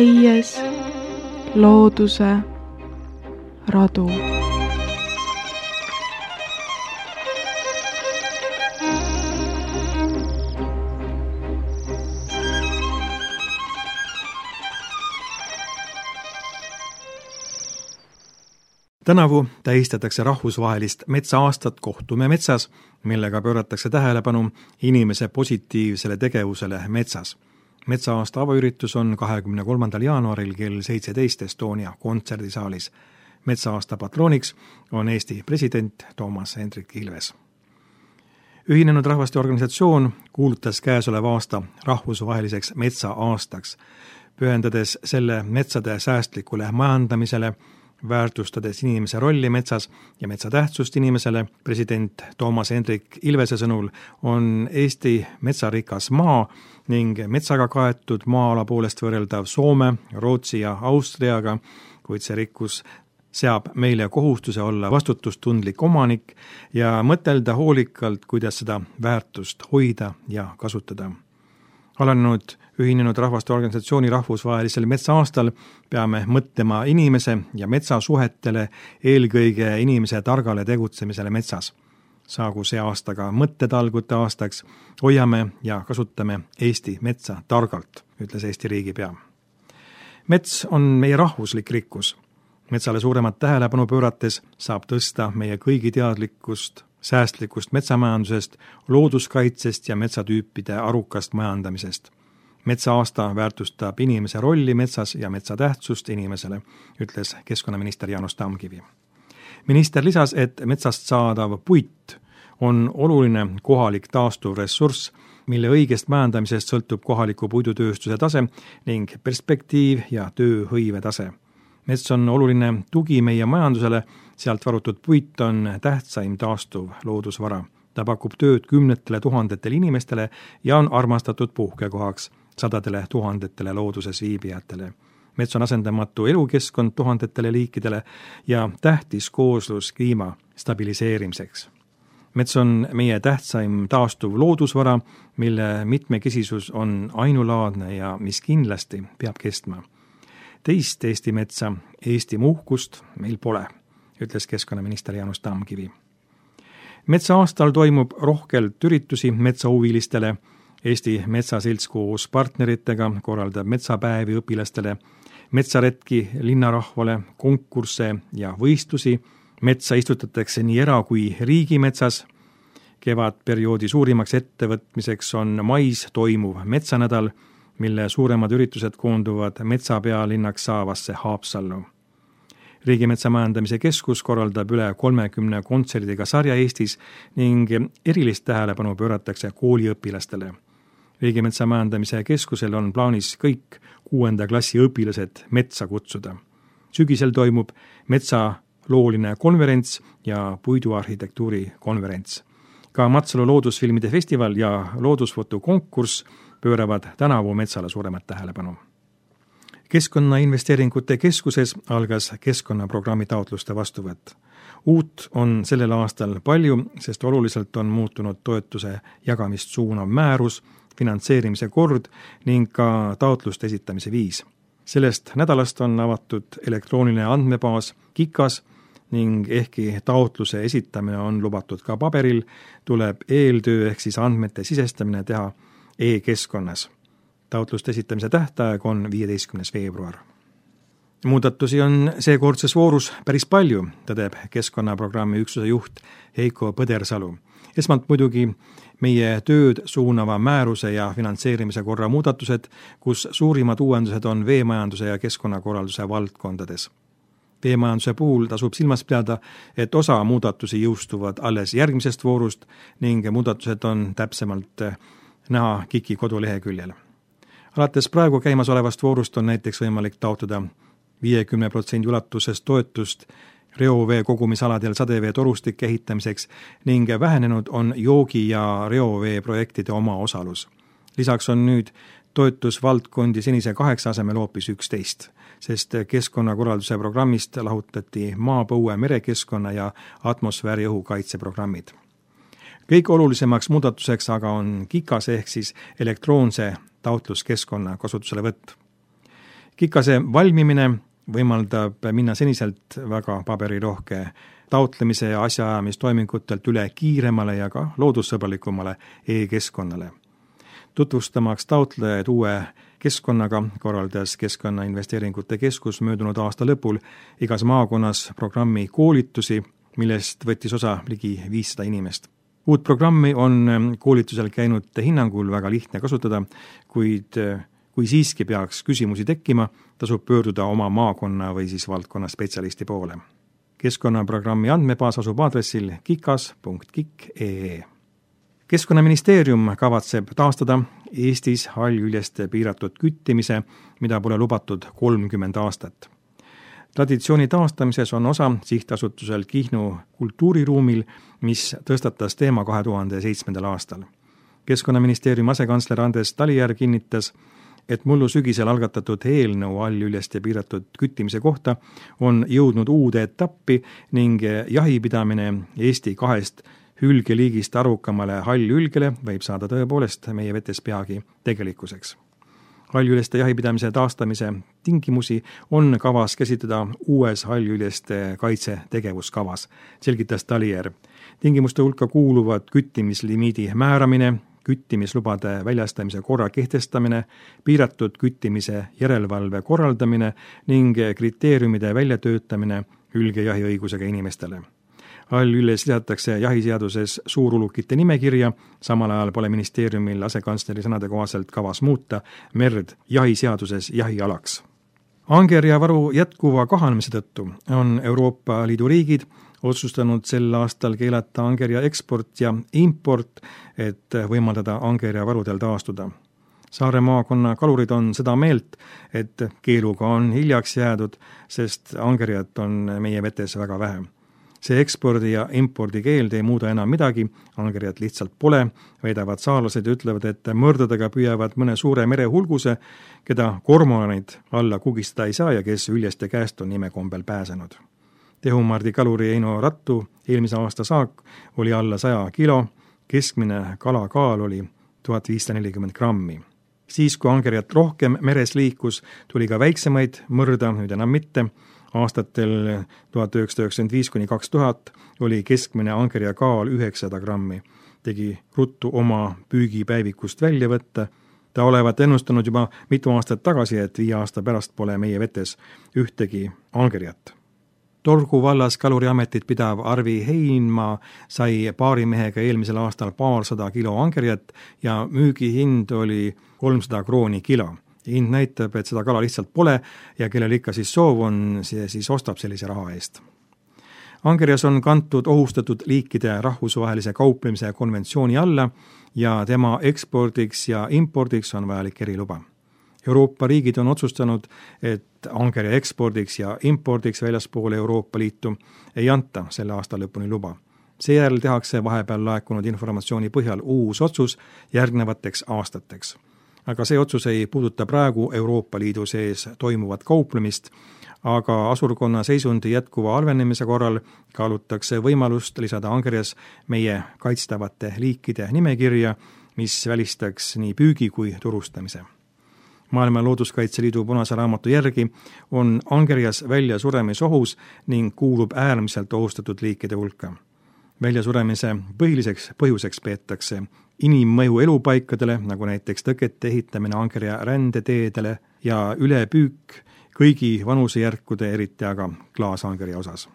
käies looduse radu. Tänavu tähistatakse rahvusvahelist metsaaastat Kohtume metsas, millega pööratakse tähelepanu inimese positiivsele tegevusele metsas. Metsaaasta avaüritus on 23. jaanuaril kell 17 Estonia kontserdisaalis. Metsaaasta patrooniks on Eesti president Toomas Hendrik Ilves. Ühinenud Rahvaste Organisatsioon kuulutas käesoleva aasta rahvusvaheliseks metsaaastaks, pühendades selle metsade säästlikule majandamisele, väärtustades inimese rolli metsas ja metsa tähtsust inimesele. President Toomas Hendrik Ilvese sõnul on Eesti metsarikas maa ning metsaga kaetud maa-ala poolest võrreldav Soome, Rootsi ja Austriaga, kuid see rikkus seab meile kohustuse olla vastutustundlik omanik ja mõtelda hoolikalt, kuidas seda väärtust hoida ja kasutada. Alanenud Ühinenud Rahvaste Organisatsiooni rahvusvahelisel metsaaastal peame mõtlema inimese ja metsa suhetele, eelkõige inimese targale tegutsemisele metsas. Saagu see aastaga mõttetalgute aastaks, hoiame ja kasutame Eesti metsa targalt, ütles Eesti riigipea. Mets on meie rahvuslik rikkus. Metsale suuremat tähelepanu pöörates saab tõsta meie kõigi teadlikkust säästlikust metsamajandusest, looduskaitsest ja metsatüüpide arukast majandamisest. Metsaaasta väärtustab inimese rolli metsas ja metsa tähtsust inimesele, ütles keskkonnaminister Jaanus Tamkivi. Minister lisas, et metsast saadav puit on oluline kohalik taastuv ressurss, mille õigest majandamisest sõltub kohaliku puidutööstuse tase ning perspektiiv ja tööhõive tase. Mets on oluline tugi meie majandusele, sealt varutud puit on tähtsaim taastuv loodusvara. Ta pakub tööd 10 000 inimestele ja on armastatud puhkekohaks 100 000 looduses viibijatele. Mets on asendamatu elukeskkond 1000 liikidele ja tähtis kooslus kliima stabiliseerimiseks. Mets on meie tähtsaim taastuv loodusvara, mille mitmekesisus on ainulaadne ja mis kindlasti peab kestma. Teist Eesti metsa, Eesti uhkust meil pole, ütles keskkonnaminister Jaanus Tamkivi. Metsaaastal toimub rohkelt üritusi metsahuvilistele. Eesti Metsaselts koos partneritega korraldab metsapäevi õpilastele, metsaretki linnarahvale, konkursse ja võistlusi. Metsa istutatakse nii era- kui riigimetsas. Kevadperioodi suurimaks ettevõtmiseks on mais toimuv metsanädal, mille suuremad üritused koonduvad metsapealinnaks saavasse Haapsallu. Riigimetsa majandamise keskus korraldab üle 30 kontserdiga sarja Eestis ning erilist tähelepanu pööratakse kooliõpilastele. Riigimetsa majandamise keskusel on plaanis kõik 6. klassi õpilased metsa kutsuda. Sügisel toimub metsalooline konverents ja puiduarhitektuuri konverents. Ka Matsalu loodusfilmide festival ja loodusfotokonkurss pööravad tänavu metsale suuremat tähelepanu. Keskkonnainvesteeringute keskuses algas keskkonnaprogrammi taotluste vastuvõtt. Uut on sellel aastal palju, sest oluliselt on muutunud toetuse jagamist suunav määrus, finantseerimise kord ning ka taotluste esitamise viis. Sellest nädalast on avatud elektrooniline andmebaas KIKAS ning ehkki taotluse esitamine on lubatud ka paberil, tuleb eeltöö ehk siis andmete sisestamine teha e-keskkonnas. Taotluste esitamise tähtaeg on 15. veebruar. Muudatusi on seekordses voorus päris palju, tõdeb keskkonnaprogrammi üksuse juht Heiko Põdersalu. Esmalt muidugi meie tööd suunava määruse ja finantseerimise korra muudatused, kus suurimad uuendused on veemajanduse ja keskkonnakorralduse valdkondades. Veemajanduse puhul tasub silmas pidada, et osa muudatusi jõustuvad alles järgmisest voorust ning muudatused on täpsemalt näha KIK-i koduleheküljel. Alates praegu käimasolevast voorust on näiteks võimalik taotleda 50% ulatuses toetust reovee kogumisaladel sadevee torustike ehitamiseks ning vähenenud on joogi- ja reovee projektide omaosalus. Lisaks on nüüd toetusvaldkondi senise 8 asemel hoopis 11, sest keskkonnakorralduse programmist lahutati maapõue, merekeskkonna ja atmosfääri õhukaitse programmid. Kõik olulisemaks muudatuseks aga on KIKAS ehk siis elektroonse taotluskeskkonna kasutuselevõtt. Kikase valmimine võimaldab minna seniselt väga paberirohke taotlemise ja asjaajamistoimingutelt üle kiiremale ja ka loodussõbralikumale e-keskkonnale. Tutvustamaks taotlejaid uue keskkonnaga korraldas Keskkonnainvesteeringute Keskus möödunud aasta lõpul igas maakonnas programmi koolitusi, millest võttis osa ligi 500 inimest. Uut programmi on koolitusel käinud hinnangul väga lihtne kasutada, kuid kui siiski peaks küsimusi tekkima, tasub pöörduda oma maakonna või siis valdkonna spetsialisti poole. Keskkonnaprogrammi andmebaas asub aadressil kikas.kik.ee. Keskkonnaministeerium kavatseb taastada Eestis hallüljeste piiratud küttimise, mida pole lubatud 30 aastat. Traditsiooni taastamises on osa sihtasutusel Kihnu kultuuriruumil, mis tõstatas teema 2007. aastal. Keskkonnaministeeriumi asekantsler Andres Talijärv kinnitas, et mullu sügisel algatatud eelnõu hallüljeste piiratud küttimise kohta on jõudnud uude etappi ning jahipidamine Eesti 2 hülgeliigist arukamale hallülgele võib saada tõepoolest meie vetes peagi tegelikkuseks. Hallüljeste jahipidamise taastamise tingimusi on kavas käsitleda uues hallüljeste kaitse tegevuskavas, selgitas Talijärv. Tingimuste hulka kuuluvad küttimislimiidi määramine, küttimislubade väljastamise korra kehtestamine, piiratud küttimise järelevalve korraldamine ning kriteeriumide väljatöötamine hülgejahiõigusega inimestele. Hallüljes lisatakse jahiseaduses suurulukite nimekirja, samal ajal pole ministeeriumil asekantsleri sõnade kohaselt kavas muuta merd jahiseaduses jahialaks. Angerjavaru jätkuva kahanemise tõttu on Euroopa Liidu riigid otsustanud sel aastal keelata angerja eksport ja import, et võimaldada angerjavarudel taastuda. Saare maakonna kalurid on seda meelt, et keeluga on hiljaks jäädud, sest angerjat on meie vetes väga vähe. See ekspordi ja impordi keeld ei muuda enam midagi, angerjat lihtsalt pole, väidavad saarlased ja ütlevad, et mõrdadega püüavad mõne suure merehulguse, keda kormoranid alla kugistada ei saa ja kes üljeste käest on imekombel pääsenud. Tehumardi kaluri Eino Rattu eelmise aasta saak oli alla 100 kilo, keskmine kalakaal oli 1540 grammi. Siis, kui angerjat rohkem meres liikus, tuli ka väiksemaid mõrda, nüüd enam mitte. Aastatel 1995–2000 oli keskmine angerja kaal 900 grammi. Tegi ruttu oma püügipäevikust välja võtta. Ta olevat ennustanud juba mitu aastat tagasi, et 5 aasta pärast pole meie vetes ühtegi angerjat. Torgu vallas kaluriametit pidav Arvi Heinmaa sai paarimehega eelmisel aastal 200 kilo angerjat ja müügihind oli 300 krooni kilo. Hind näitab, et seda kala lihtsalt pole ja kellel ikka siis soov on, see siis ostab sellise raha eest. Angerjas on kantud ohustatud liikide rahvusvahelise kauplemise konventsiooni alla ja tema ekspordiks ja impordiks on vajalik eriluba. Euroopa riigid on otsustanud, et angerja ekspordiks ja impordiks väljaspoole Euroopa Liitu ei anta selle aasta lõpuni luba. Seejärel tehakse vahepeal laekunud informatsiooni põhjal uus otsus järgnevateks aastateks. Aga see otsus ei puuduta praegu Euroopa Liidu sees toimuvat kauplemist, aga asurkonna seisundi jätkuva halvenemise korral kaalutakse võimalust lisada angerjas meie kaitstavate liikide nimekirja, mis välistaks nii püügi kui turustamise. Maailma Looduskaitseliidu punase raamatu järgi on angerjas väljasuremisohus ning kuulub äärmiselt ohustatud liikide hulka. Väljasuremise põhiliseks põhjuseks peetakse inimmõju elupaikadele, nagu näiteks tõkete ehitamine angerja rändeteedele ja ülepüük kõigi vanusejärkude, eriti aga klaasangerja osas.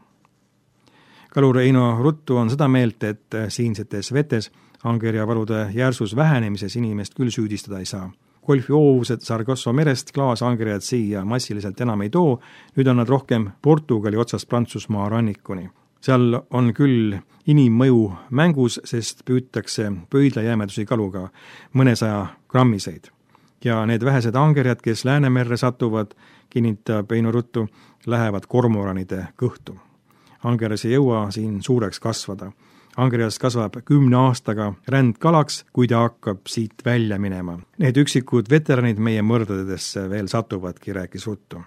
Kalur Eino Ruttu on seda meelt, et siinsetes vetes angerjavarude järsus vähenemises inimest küll süüdistada ei saa. Golfi hoovused Sargasso merest klaasangerjad siia massiliselt enam ei too, nüüd on nad rohkem Portugali otsast Prantsusmaa rannikuni. Seal on küll inimmõju mängus, sest püütakse pöidlajäämedusi kaluga mõnesaja grammiseid. Ja need vähesed angerjad, kes Läänemerre satuvad, kinnitab Eino Ruttu, lähevad kormoranide kõhtu. Angerjas ei jõua siin suureks kasvada. Angerjas kasvab 10 aastaga rändkalaks, kui ta hakkab siit välja minema. Need üksikud veteranid meie mõrdadesse veel satuvadki, rääkis Ruttu.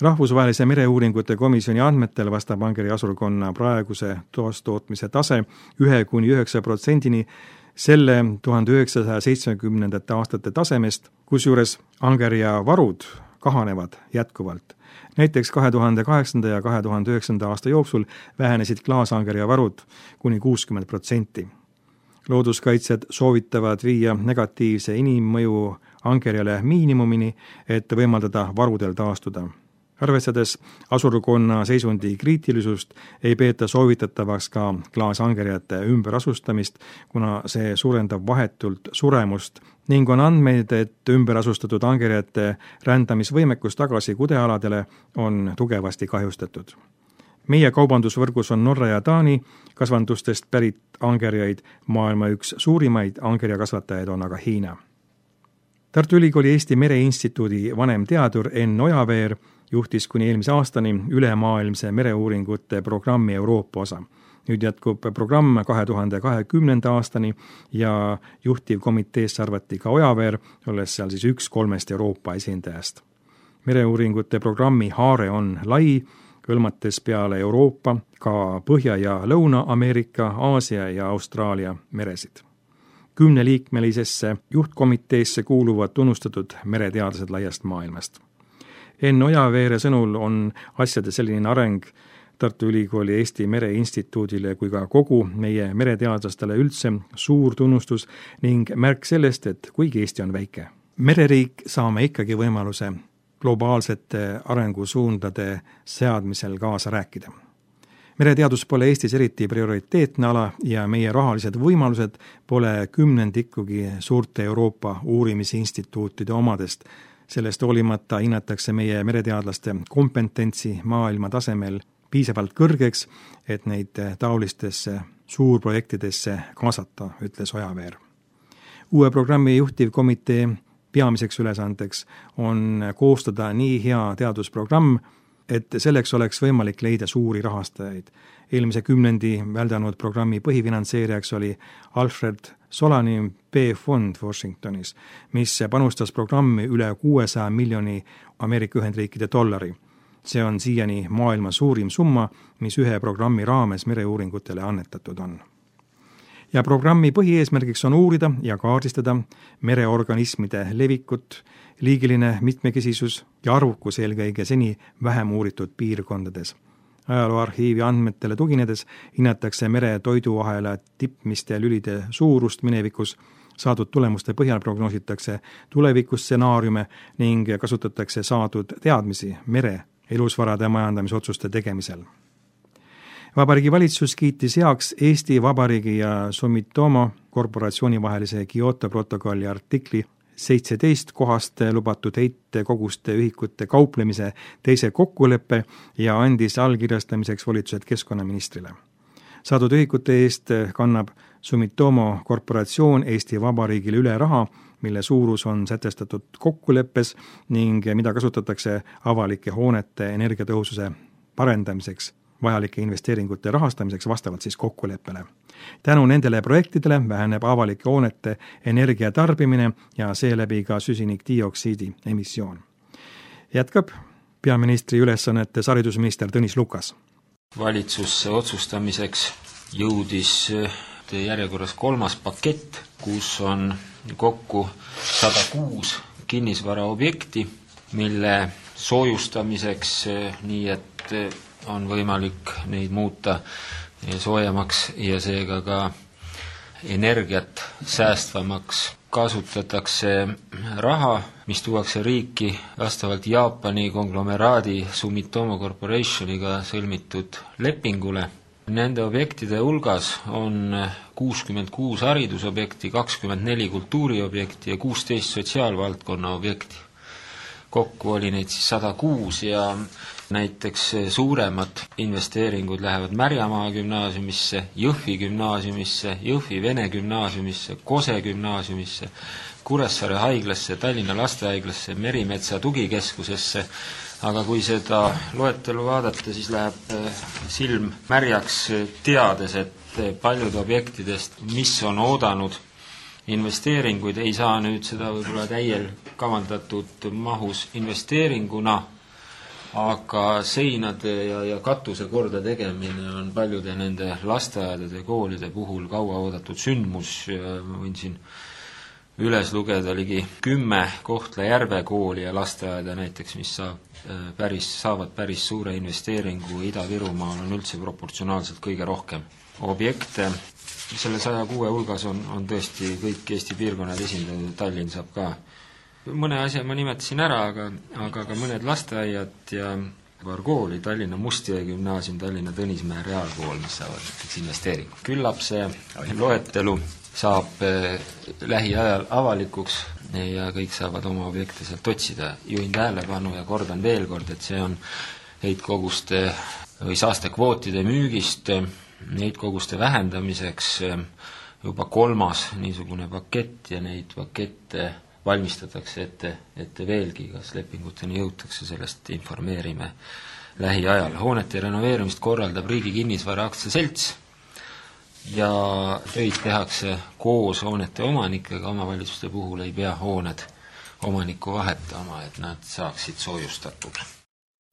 Rahvusvahelise mereuuringute komisjoni andmetel vastab angerja asurkonna praeguse toostootmise tase 1–9% selle 1970. aastate tasemest, kusjuures angerja varud kahanevad jätkuvalt. Näiteks 2008. ja 2009. aasta jooksul vähenesid klaasangerja varud kuni 60%. Looduskaitsjad soovitavad viia negatiivse inimmõju angerjale miinimumini, et võimaldada varudel taastuda. Arvestades asurkonna seisundi kriitilisust, ei peeta soovitatavaks ka klaasangerjate ümberasustamist, kuna see suurendab vahetult suremust ning on andmeid, et ümberasustatud angerjate rändamisvõimekus tagasi kudealadele on tugevasti kahjustatud. Meie kaubandusvõrgus on Norra ja Taani kasvandustest pärit angerjaid, maailma üks suurimaid angerjakasvatajaid on aga Hiina. Tartu Ülikooli Eesti Mereinstituudi vanemteadur Enn Ojaveer juhtis kuni eelmise aastani ülemaailmse mereuuringute programmi Euroopa osa. Nüüd jätkub programm 2020. aastani ja juhtivkomiteesse arvati ka Ojaveer, olles seal siis üks 3 Euroopa esindajast. Mereuuringute programmi haare on lai, hõlmates peale Euroopa ka Põhja- ja Lõuna-Ameerika, Aasia ja Austraalia meresid. 10-liikmelisesse juhtkomiteesse kuuluvad tunnustatud mereteadlased laiast maailmast. Enn Ojaveere sõnul on asjade selline areng Tartu Ülikooli Eesti Mereinstituudile kui ka kogu meie mereteadlastele üldse suur tunnustus ning märk sellest, et kuigi Eesti on väike, mereriik saame ikkagi võimaluse globaalsete arengusuundade seadmisel kaasa rääkida. Mereteadus pole Eestis eriti prioriteetne ala ja meie rahalised võimalused pole kümnendikugi suurte Euroopa uurimisinstituutide omadest. Sellest hoolimata hinnatakse meie mereteadlaste kompetentsi maailma tasemel piisavalt kõrgeks, et neid taolistesse suurprojektidesse kaasata, ütles Ojaveer. Uue programmi juhtivkomitee peamiseks ülesandeks on koostada nii hea teadusprogramm, et selleks oleks võimalik leida suuri rahastajaid. Eelmise kümnendi väldanud programmi põhifinantseerijaks oli Alfred Solani B-fond Washingtonis, mis panustas programmi üle 600 miljoni Ameerika Ühendriikide $. See on siiani maailma suurim summa, mis ühe programmi raames mereuuringutele annetatud on. Ja programmi põhieesmärgiks on uurida ja kaardistada mereorganismide levikut, liigiline mitmekesisus ja arvukus eelkõige seni vähem uuritud piirkondades. Ajalooarhiivi andmetele tuginedes hinnatakse mere toiduahela tippmiste lülide suurust minevikus, saadud tulemuste põhjal prognoositakse tulevikustsenaariume ning kasutatakse saadud teadmisi mere elusvarade majandamisotsuste tegemisel. Vabariigi valitsus kiitis heaks Eesti Vabariigi ja Sumitomo korporatsiooni vahelise Kyoto protokolli artikli 17 kohast lubatud heitkoguste ühikute kauplemise teise kokkuleppe ja andis allkirjastamiseks volitused keskkonnaministrile. Saadud ühikute eest kannab Sumitomo korporatsioon Eesti Vabariigile üle raha, mille suurus on sätestatud kokkuleppes ning mida kasutatakse avalike hoonete energiatõhususe parendamiseks, vajalike investeeringute rahastamiseks vastavalt siis kokkuleppele. Tänu nendele projektidele väheneb avalike hoonete energiatarbimine ja seeläbi ka süsinikdioksiidi emissioon. Jätkab peaministri ülesannetes haridusminister Tõnis Lukas. Valitsusse otsustamiseks jõudis järjekorras 3. pakett, kus on kokku 106 kinnisvaraobjekti, mille soojustamiseks nii, et on võimalik neid muuta soojemaks ja seega ka energiat säästvamaks. Kasutatakse raha, mis tuuakse riiki vastavalt Jaapani konglomeraadi Sumitomo Corporationiga sõlmitud lepingule. Nende objektide hulgas on 66 haridusobjekti, 24 kultuuriobjekti ja 16 sotsiaalvaldkonna objekti. Kokku oli neid siis 106 ja näiteks suuremad investeeringud lähevad Märjamaa gümnaasiumisse, Jõhvi gümnaasiumisse, Jõhvi Vene gümnaasiumisse, Kose gümnaasiumisse, Kuressaare haiglasse, Tallinna lastehaiglasse, Merimetsa tugikeskusesse, aga kui seda loetelu vaadata, siis läheb silm märjaks teades, et paljud objektidest, mis on oodanud investeeringuid, ei saa nüüd seda võib-olla täiel kavandatud mahus investeeringuna aga seinade ja katuse korda tegemine on paljude nende lasteaedade ja koolide puhul kaua oodatud sündmus ja ma võin siin üles lugeda ligi 10 Kohtla-Järve kooli ja lasteaeda näiteks, mis saavad päris suure investeeringu. Ida-Virumaal on üldse proportsionaalselt kõige rohkem objekte. Selle 106 hulgas on tõesti kõik Eesti piirkonnad esindatud, Tallinn saab ka. Mõne asja ma nimetasin ära, aga ka mõned lasteaiad ja paar kooli, Tallinna Mustjõe gümnaasium, Tallinna Tõnismäe reaalkool, mis saavad näiteks investeeringu. Küllap see loetelu saab lähiajal avalikuks ja kõik saavad oma objekte sealt otsida. Juhin tähelepanu ja kordan veel kord, et see on heitkoguste või saastekvootide müügist heitkoguste vähendamiseks juba 3. niisugune pakett ja neid pakette valmistatakse ette veelgi, kas lepinguteni jõutakse, sellest informeerime lähiajal. Hoonete renoveerimist korraldab Riigi Kinnisvara Aktsiaselts ja töid tehakse koos hoonete omanikega, omavalitsuste puhul ei pea hooned omanikku vahetama, et nad saaksid soojustatud.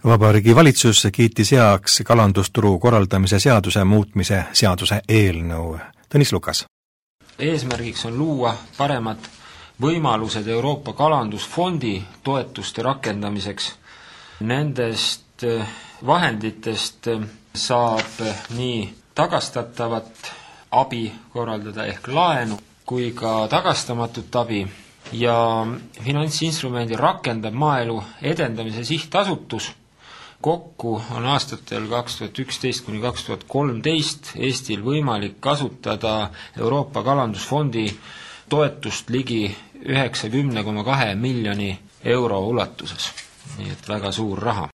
Vabariigi Valitsus kiitis heaks kalandusturu korraldamise seaduse muutmise seaduse eelnõu. Tõnis Lukas. Eesmärgiks on luua paremad võimalused Euroopa Kalandusfondi toetuste rakendamiseks. Nendest vahenditest saab nii tagastatavat abi korraldada ehk laenu kui ka tagastamatut abi ja finantsinstrumendi rakendab Maaelu Edendamise Sihtasutus. Kokku on aastatel 2011 kuni 2013 Eestil võimalik kasutada Euroopa Kalandusfondi toetust ligi 90,2 miljoni euro ulatuses. Nii et väga suur raha.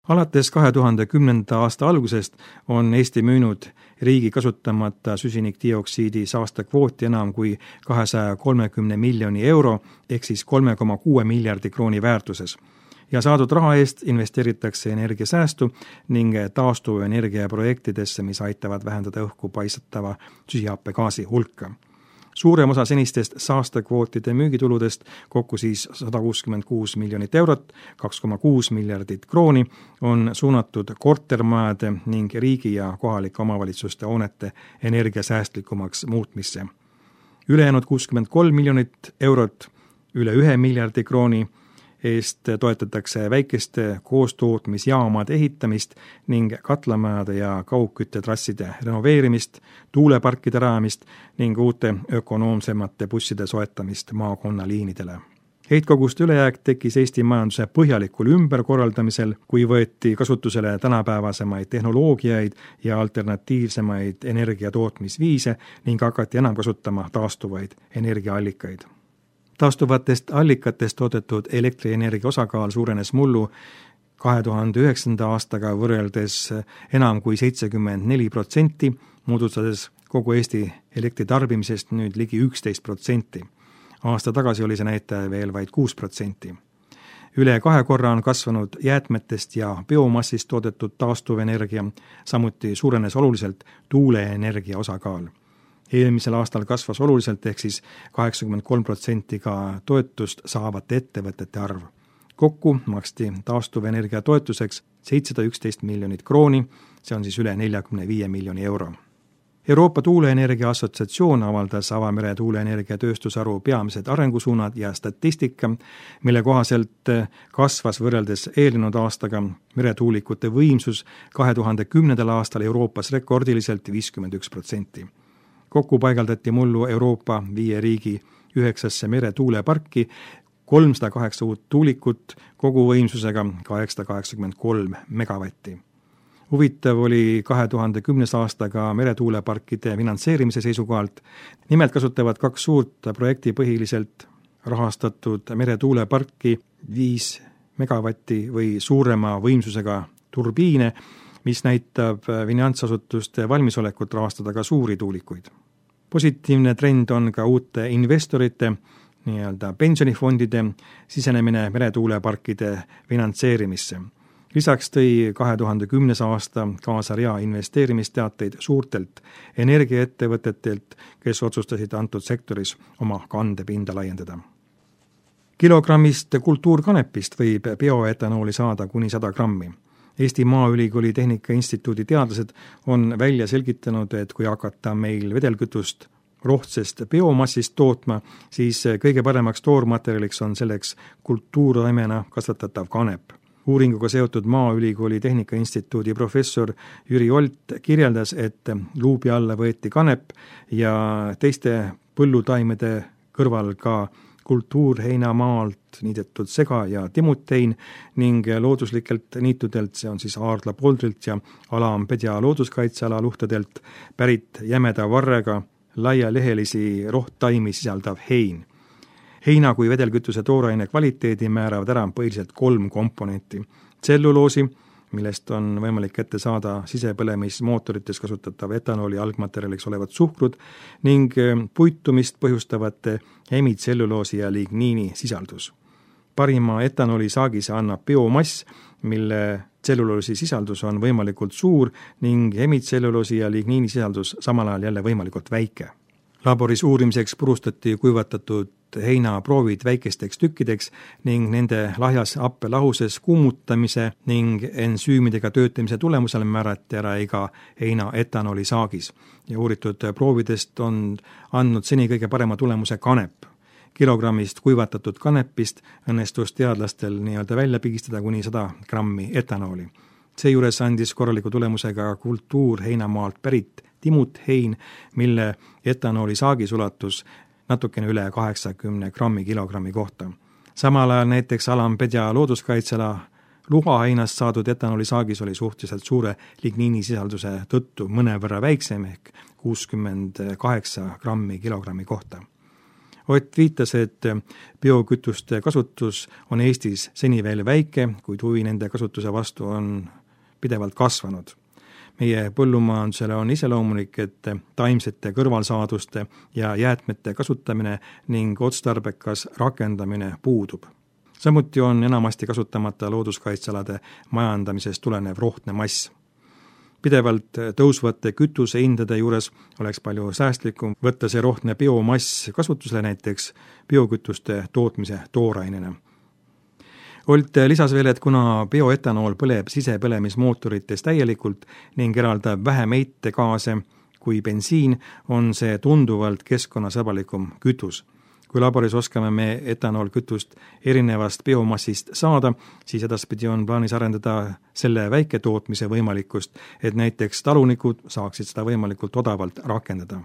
Alates 2010. aasta algusest on Eesti müünud riigi kasutamata süsinikdioksiidi saastekvooti enam kui 230 miljoni euro ehk siis 3,6 miljardi krooni väärtuses. Ja saadud raha eest investeeritakse energiasäästu ning taastuvenergia projektidesse, mis aitavad vähendada õhku paisatava süsihappegaasi hulka. Suurem osa senistest saastekvootide müügituludest, kokku siis 166 miljonit eurot, 2,6 miljardit krooni, on suunatud kortermajade ning riigi ja kohalike omavalitsuste hoonete energiasäästlikumaks muutmisse. Ülejäänud 63 miljonit eurot, üle 1 miljardi krooni, eest toetatakse väikeste koostootmisjaamade ehitamist ning katlamajade ja kaugküttetrasside renoveerimist, tuuleparkide rajamist ning uute ökonoomsemate busside soetamist maakonnaliinidele. Heitkoguste ülejääk tekkis Eesti majanduse põhjalikul ümberkorraldamisel, kui võeti kasutusele tänapäevasemaid tehnoloogiaid ja alternatiivsemaid energiatootmisviise ning hakati enam kasutama taastuvaid energiaallikaid. Taastuvatest allikatest toodetud elektrienergia osakaal suurenes mullu 2009. aastaga võrreldes enam kui 74%, moodustades kogu Eesti elektritarbimisest nüüd ligi 11%. Aasta tagasi oli see näitaja veel vaid 6%. Üle 2 korra on kasvanud jäätmetest ja biomassist toodetud taastuvenergia, samuti suurenes oluliselt tuuleenergia osakaal. Eelmisel aastal kasvas oluliselt ehk siis 83% ka toetust saavate ettevõtete arv. Kokku maksti taastuvenergia toetuseks 711 miljonit krooni, see on siis üle 45 miljoni euro. Euroopa Tuuleenergia Assotsiatsioon avaldas avamere tuuleenergia tööstusaru peamised arengusuunad ja statistika, mille kohaselt kasvas võrreldes eelnenud aastaga meretuulikute võimsus 2010. aastal Euroopas rekordiliselt 51%. Kokku paigaldati mullu Euroopa 5 riigi 9 meretuuleparki, 308 uut tuulikut kogu võimsusega 883 megavatti. Huvitav oli 2010. aastaga meretuuleparkide finantseerimise seisukohalt. Nimelt kasutavad 2 suurt projekti põhiliselt rahastatud meretuuleparki 5 megavatti või suurema võimsusega turbiine, mis näitab finantsasutuste valmisolekut rahastada ka suuri tuulikuid. Positiivne trend on ka uute investorite, nii-öelda pensionifondide sisenemine meretuuleparkide finantseerimisse. Lisaks tõi 2010. aasta kaasa rea investeerimisteateid suurtelt energiaettevõtetelt, kes otsustasid antud sektoris oma kandepinda laiendada. Kilogrammist kultuurkanepist võib bioetanooli saada kuni 100 grammi. Eesti Maaülikooli Tehnika Instituudi teadlased on välja selgitanud, et kui hakata meil vedelkütust rohtsest biomassist tootma, siis kõige paremaks toormaterjaliks on selleks kultuurtaimena kasvatatav kanep. Uuringuga seotud Maaülikooli Tehnika Instituudi professor Jüri Olt kirjeldas, et luubi alla võeti kanep ja teiste põllutaimede kõrval ka kultuurheinamaalt niidetud sega- ja timutein ning looduslikelt niitudelt, see on siis Aardla poldrilt ja Alampedja looduskaitseala luhtadelt pärit jämeda varrega laialehelisi rohttaimi sisaldav hein. Heina kui vedelkütuse tooraine kvaliteedi määravad ära põhiliselt 3 komponenti. Tselluloosi, millest on võimalik kätte saada sisepõlemismootorites kasutatav etanooli algmaterjaliks olevad suhkrud ning puitumist põhjustavate hemitselluloosi ja ligniini sisaldus. Parima etanooli saagise annab biomass, mille tselluloosi sisaldus on võimalikult suur ning hemitselluloosi ja ligniini sisaldus samal ajal jälle võimalikult väike. Laboris uurimiseks purustati kuivatatud heinaproovid väikesteks tükkideks ning nende lahjas happelahuses kuumutamise ning ensüümidega töötamise tulemusel määrati ära iga heina etanooli saagis ja uuritud proovidest on andnud seni kõige parema tulemuse kanep. Kilogrammist kuivatatud kanepist õnnestus teadlastel nii-öelda välja pigistada kuni 100 grammi etanooli. Seejuures andis korraliku tulemusega kultuurheinamaalt pärit timut-hein, mille etanooli saagis ulatus natukene üle 80 grammi kilogrammi kohta. Samal ajal näiteks Alampedja looduskaitsela luhaheinast saadud etanooli saagis oli suhteliselt suure ligniini sisalduse tõttu mõnevõrra väiksem ehk 68 grammi kilogrammi kohta. Ott viitas, et biokütuste kasutus on Eestis seni veel väike, kuid huvi nende kasutuse vastu on pidevalt kasvanud. Meie põllumajandusele on iseloomulik, et taimsete kõrvalsaaduste ja jäätmete kasutamine ning otstarbekas rakendamine puudub. Samuti on enamasti kasutamata looduskaitsealade majandamisest tulenev rohtne mass. Pidevalt tõusvate kütusehindade juures oleks palju säästlikum võtta see rohtne biomass kasutusele näiteks biokütuste tootmise toorainena. Olt lisas veel, et kuna bioetanool põleb sisepõlemismootorites täielikult ning eraldab vähem heitegaase kui bensiin, on see tunduvalt keskkonnasõbralikum kütus. Kui laboris oskame me etanoolkütust erinevast biomassist saada, siis edaspidi on plaanis arendada selle väiketootmise võimalikkust, et näiteks talunikud saaksid seda võimalikult odavalt rakendada.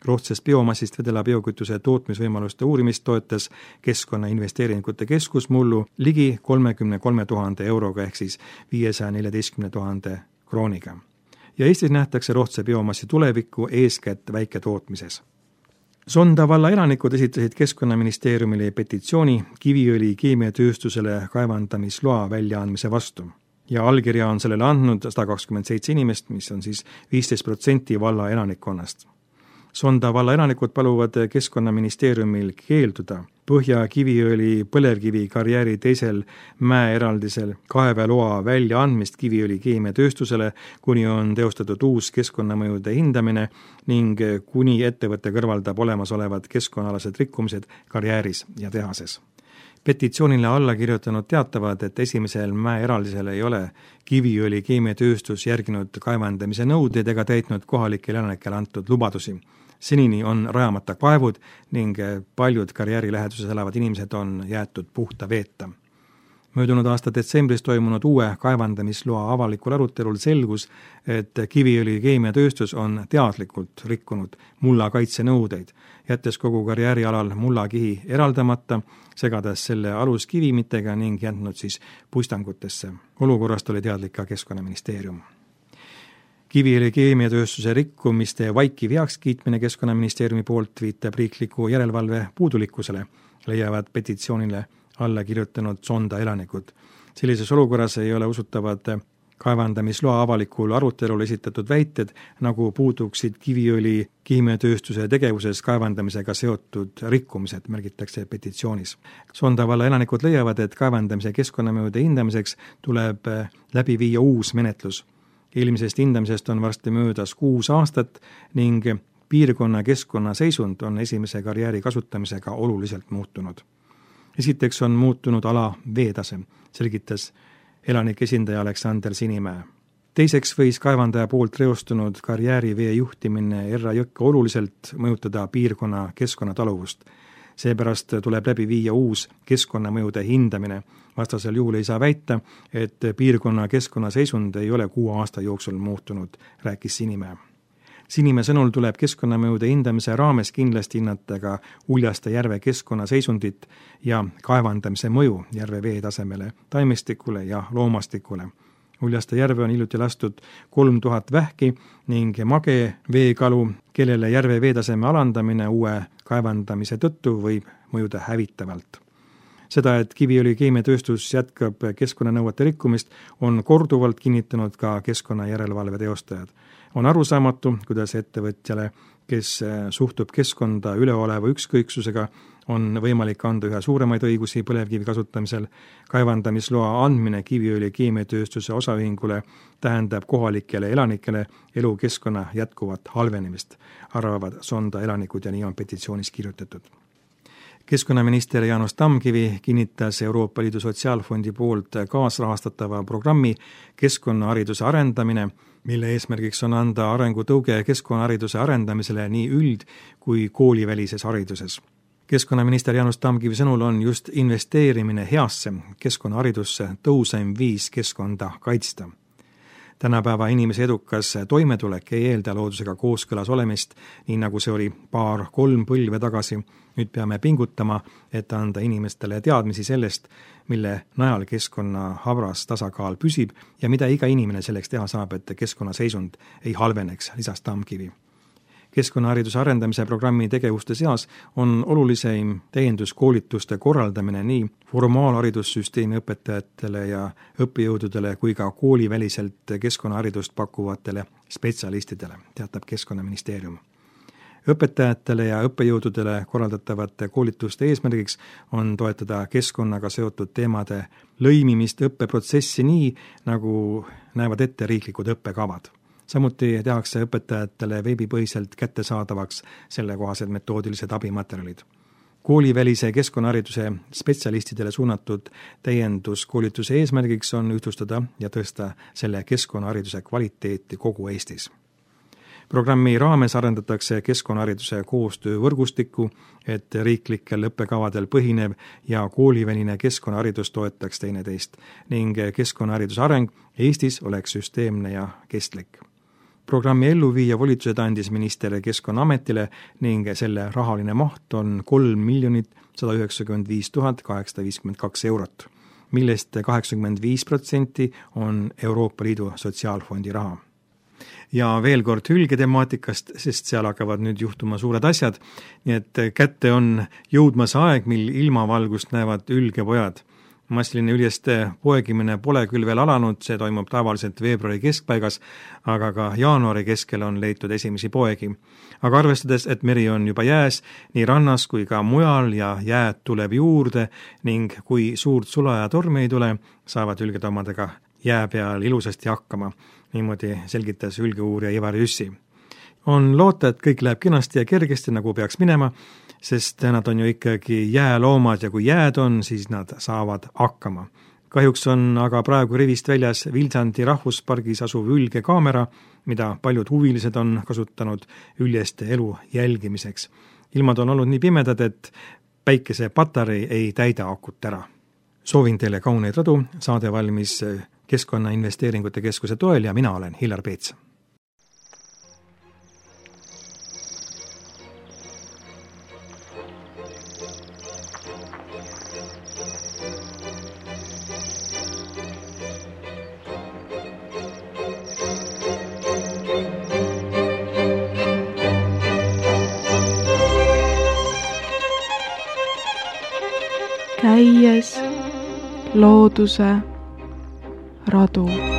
Rohtsest biomassist vedela biokütuse tootmisvõimaluste uurimist toetas Keskkonnainvesteeringute Keskus mullu ligi 33 000 euroga ehk siis 514 000 krooniga. Ja Eestis nähtakse rohtse biomassi tulevikku eeskätt väiketootmises. Sonda valla elanikud esitasid Keskkonnaministeeriumile petitsiooni kiviõli keemiatööstusele kaevandamisloa väljaandmise vastu. Ja allkirja on sellele andnud 127 inimest, mis on siis 15% valla elanikkonnast. Sonda valla elanikud paluvad Keskkonnaministeeriumil keelduda Põhja kiviõli põlevkivi karjääri teisel mäeeraldisel kaeveloa väljaandmist kiviõli keemiatööstusele, kuni on teostatud uus keskkonnamõjude hindamine ning kuni ettevõte kõrvaldab olemasolevad keskkonnaalased rikkumised karjääris ja tehases. Petitsioonile alla kirjutanud teatavad, et esimesel mäeeraldisel ei ole kiviõli keemiatööstus järginud kaevandamise nõudeid ega täitnud kohalikele elanikele antud lubadusi. Senini on rajamata kaevud ning paljud karjääri läheduses elavad inimesed on jäetud puhta veeta. Möödunud aasta detsembris toimunud uue kaevandamisloa avalikul arutelul selgus, et kiviõli keemiatööstus on teadlikult rikkunud mullakaitsenõudeid, jättes kogu karjäärialal mullakihi eraldamata, segades selle aluskivimitega ning jätnud siis puistangutesse. Olukorrast oli teadlik ka Keskkonnaministeerium. Kiviõli keemiatööstuse rikkumiste vaikiv heakskiitmine Keskkonnaministeeriumi poolt viitab riikliku järelevalve puudulikkusele, leiavad petitsioonile alla kirjutanud Sonda elanikud. Sellises olukorras ei ole usutavad kaevandamisloa avalikul arutelul esitatud väited, nagu puuduksid kiviõli keemiatööstuse tegevuses kaevandamisega seotud rikkumised, märgitakse petitsioonis. Sonda valla elanikud leiavad, et kaevandamise keskkonnamõjude hindamiseks tuleb läbi viia uus menetlus. Eelmisest hindamisest on varsti möödas 6 aastat ning piirkonna keskkonnaseisund on esimese karjääri kasutamisega oluliselt muutunud. Esiteks on muutunud ala veetase, selgitas elanike esindaja Aleksander Sinimäe. Teiseks võis kaevandaja poolt reostunud karjäärivee juhtimine Erra jõkke oluliselt mõjutada piirkonna keskkonnataluvust. Seepärast tuleb läbi viia uus keskkonnamõjude hindamine. Vastasel juhul ei saa väita, et piirkonna keskkonnaseisund ei ole 6 aasta jooksul muutunud, rääkis Sinimäe. Sinimäe sõnul tuleb keskkonnamõjude hindamise raames kindlasti hinnata ka Uljaste järve keskkonnaseisundit ja kaevandamise mõju järve veetasemele, taimestikule ja loomastikule. Uljaste järve on hiljuti lastud 3000 vähki ning mage veekalu, kellele järve veetaseme alandamine uue kaevandamise tõttu võib mõjuda hävitavalt. Seda, et Kiviõli keemiatööstus jätkab keskkonnanõuete rikkumist, on korduvalt kinnitanud ka keskkonnajärelevalve teostajad. On arusaamatu, kuidas ettevõtjale, kes suhtub keskkonda üleoleva ükskõiksusega, on võimalik anda üha suuremaid õigusi põlevkivi kasutamisel. Kaevandamisloa andmine Kiviõli keemiatööstuse osaühingule tähendab kohalikele elanikele elukeskkonna jätkuvat halvenemist, arvavad Sonda elanikud ja nii on petitsioonis kirjutatud. Keskkonnaminister Jaanus Tamkivi kinnitas Euroopa Liidu Sotsiaalfondi poolt kaasrahastatava programmi keskkonnahariduse arendamine, mille eesmärgiks on anda arengutõuge keskkonnahariduse arendamisele nii üld- kui koolivälises hariduses. Keskkonnaminister Jaanus Tamkivi sõnul on just investeerimine heasse keskkonnaharidusse tõuseim viis keskkonda kaitsta. Tänapäeva inimese edukas toimetulek ei eelda loodusega kooskõlas olemist, nii nagu see oli 2-3 põlve tagasi. Nüüd peame pingutama, et anda inimestele teadmisi sellest, mille najal keskkonna habras tasakaal püsib ja mida iga inimene selleks teha saab, et keskkonnaseisund ei halveneks, lisas Tamkivi. Keskkonnahariduse arendamise programmi tegevuste seas on oluliseim täienduskoolituste korraldamine nii formaalharidussüsteemi õpetajatele ja õppejõududele kui ka kooliväliselt keskkonnaharidust pakkuvatele spetsialistidele, teatab Keskkonnaministeerium. Õpetajatele ja õppejõududele korraldatavate koolituste eesmärgiks on toetada keskkonnaga seotud teemade lõimimist õppeprotsessi nii, nagu näevad ette riiklikud õppekavad. Samuti tehakse õpetajatele veebipõhiselt kättesaadavaks sellekohased metoodilised abimaterjalid. Koolivälise keskkonnahariduse spetsialistidele suunatud täienduskoolituse eesmärgiks on ühtlustada ja tõsta selle keskkonnahariduse kvaliteeti kogu Eestis. Programmi raames arendatakse keskkonnahariduse koostöövõrgustikku, et riiklikel õppekavadel põhinev ja kooliväline keskkonnaharidus toetaks teineteist ning keskkonnahariduse areng Eestis oleks süsteemne ja kestlik. Programmi elluviija volitused andis minister Keskkonnaametile ning selle rahaline maht on 3 195 852 eurot, millest 85% on Euroopa Liidu Sotsiaalfondi raha. Ja veel kord hülgetemaatikast, sest seal hakkavad nüüd juhtuma suured asjad, nii et kätte on jõudmas aeg, mil ilmavalgust näevad hülgepojad. Massiline üljeste poegimine pole küll veel alanud, see toimub tavaliselt veebruari keskpaigas, aga ka jaanuari keskel on leitud esimesi poegi. Aga arvestades, et meri on juba jääs nii rannas kui ka mujal ja jääd tuleb juurde ning kui suurt sula ja tormi ei tule, saavad hülgetomadega jää peal ilusasti hakkama. Niimoodi selgitas hülgeuurija Ivar Jüssi. On loota, et kõik läheb kenasti ja kergesti, nagu peaks minema, sest nad on ju ikkagi jääloomad ja kui jääd on, siis nad saavad hakkama. Kahjuks on aga praegu rivist väljas Vilsandi rahvuspargis asuv hülgekaamera, mida paljud huvilised on kasutanud üljeste elu jälgimiseks. Ilmad on olnud nii pimedad, et päikesepatarei ei täida akut ära. Soovin teile kauneid radu, saade valmis Keskkonnainvesteeringute Keskuse toel ja mina olen Hillar Peets. Käies looduse radu.